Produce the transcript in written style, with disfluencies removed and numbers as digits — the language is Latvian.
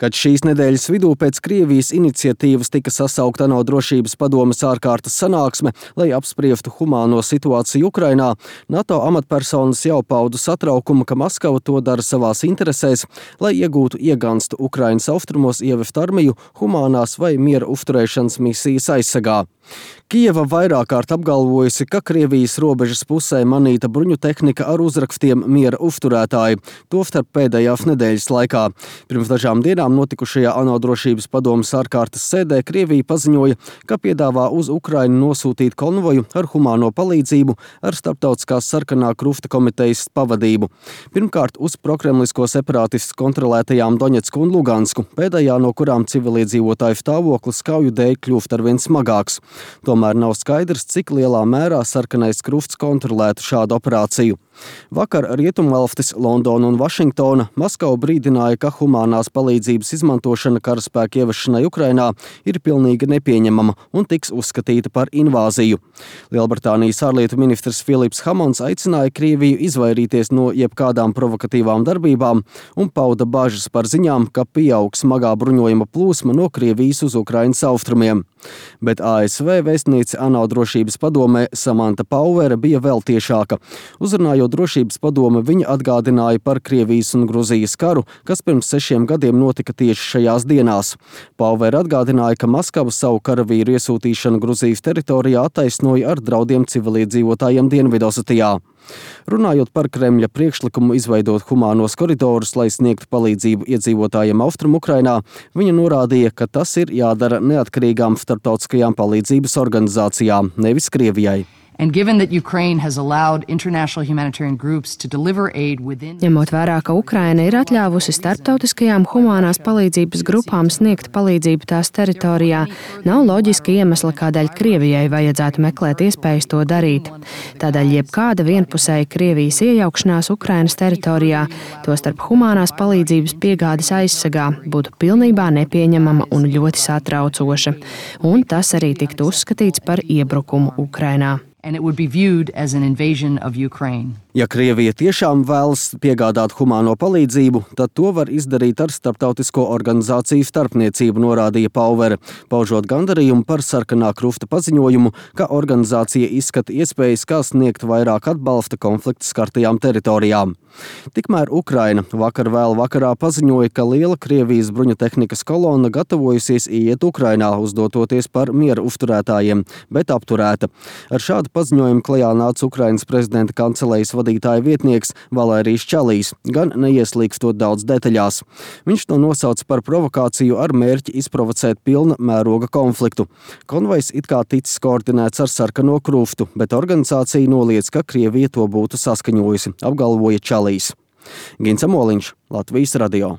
Kad šīs nedēļas vidū pēc Krievijas iniciatīvas tika sasaukta ANO drošības padomes ārkārtas sanāksme, lai apspriestu humāno situāciju Ukrainā, NATO amatpersonas jau pauda satraukumu, ka Maskava to dara savās interesēs, lai iegūtu ieganstu Ukrainas austrumos ievest armiju humānās vai miera uzturēšanas misijas aizsargā. Kijeva vairāk kārt apgalvojusi, ka Krievijas robežas pusē manīta bruņu tehnika ar uzrakstiem miera uzturētāji, tostarp pēdējās nedēļas laikā. Pirms dažām dienām notikušajā ANO drošības padomes ārkārtas sēdē Krievija paziņoja, ka piedāvā uz Ukrainu nosūtīt konvoju ar humāno palīdzību ar starptautiskās sarkanā krusta komitejas pavadību. Pirmkārt uz prokremlisko separātistu kontrolētajām Doņetsku un Lugansku, pēdējā no kurām civiliedzīvotāju stāvoklis kauju dēļ kļūst arvien smagāks. Tomēr nav skaidrs, cik lielā mērā sarkanais krusts kontrolētu šādu operāciju. Vakar Rietumvalstis, Londona un Vašingtona Maskava brīdināja, ka humānās palīdzības izmantošana karaspēka ievešanai Ukrainā ir pilnīgi nepieņemama un tiks uzskatīta par invāziju. Lielbritānijas ārlietu ministrs Filips Hamons aicināja Krieviju izvairīties no jebkādām provokatīvām darbībām un pauda bažas par ziņām, ka pieaug smagā bruņojuma plūsma no Krievijas uz Ukrainas austrumiem. Bet ASV vēstniece ANO drošības padomē Samanta Pauere bija vēl tiešāka. Uzrunājot drošības padome, viņa atgādināja par Krievijas un Gruzijas karu, kas pirms 6 gadiem notika tieši šajās dienās. Pauere atgādināja, ka Maskava savu karavīru iesūtīšanu Gruzijas teritorijā attaisnoja ar draudiem civiliedzīvotājiem Dienvidosetijā. Runājot par Kremļa priekšlikumu izveidot humānos koridorus, lai sniegtu palīdzību iedzīvotājiem Austrum Ukrainā, viņa norādīja, ka tas ir jādara neatkarīgām starptautiskajām palīdzības organizācijām, nevis Krievijai. Ņemot vērā, ka Ukraina ir atļāvusi starptautiskajām humānās palīdzības grupām sniegt palīdzību tās teritorijā, nav loģiska iemesla, kādēļ Krievijai vajadzētu meklēt iespējas to darīt. Tādēļ jebkāda vienpusēja Krievijas iejaukšanās Ukrainas teritorijā, tostarp humānās palīdzības piegādes aizsargā, būtu pilnībā nepieņemama un ļoti satraucoša. Un tas arī tiktu uzskatīts par iebrukumu Ukrainā. Ja Krievija tiešām vēlas piegādāt humāno palīdzību, tad to var izdarīt ar starptautisko organizāciju starpniecību, norādīja Pauvere, paužot gandarījumu par sarkanā krusta paziņojumu, ka organizācija izskata iespējas, kā sniegt vairāk atbalsta konflikta skartajām teritorijām. Tikmēr Ukraina vakar vēl vakarā paziņoja, ka liela Krievijas bruņu tehnikas kolona gatavojusies ieiet Ukrainā, uzdototies par miera uzturētājiem, bet apturēta. Ar šādu paziņojumu klajā nāca Ukrainas prezidenta kancelejas vadītāja vietnieks Valērijs Čalīs, gan neieslīgstot daudz detaļās. Viņš to nosauca par provokāciju ar mērķi izprovocēt pilna mēroga konfliktu. Konvojs it kā ticis koordinēts ar sarkano krustu, bet organizācija noliedz, ka Krievija to būtu saskaņojusi, apgalvoja Čalīs. Gins Amoliņš, Latvijas radio.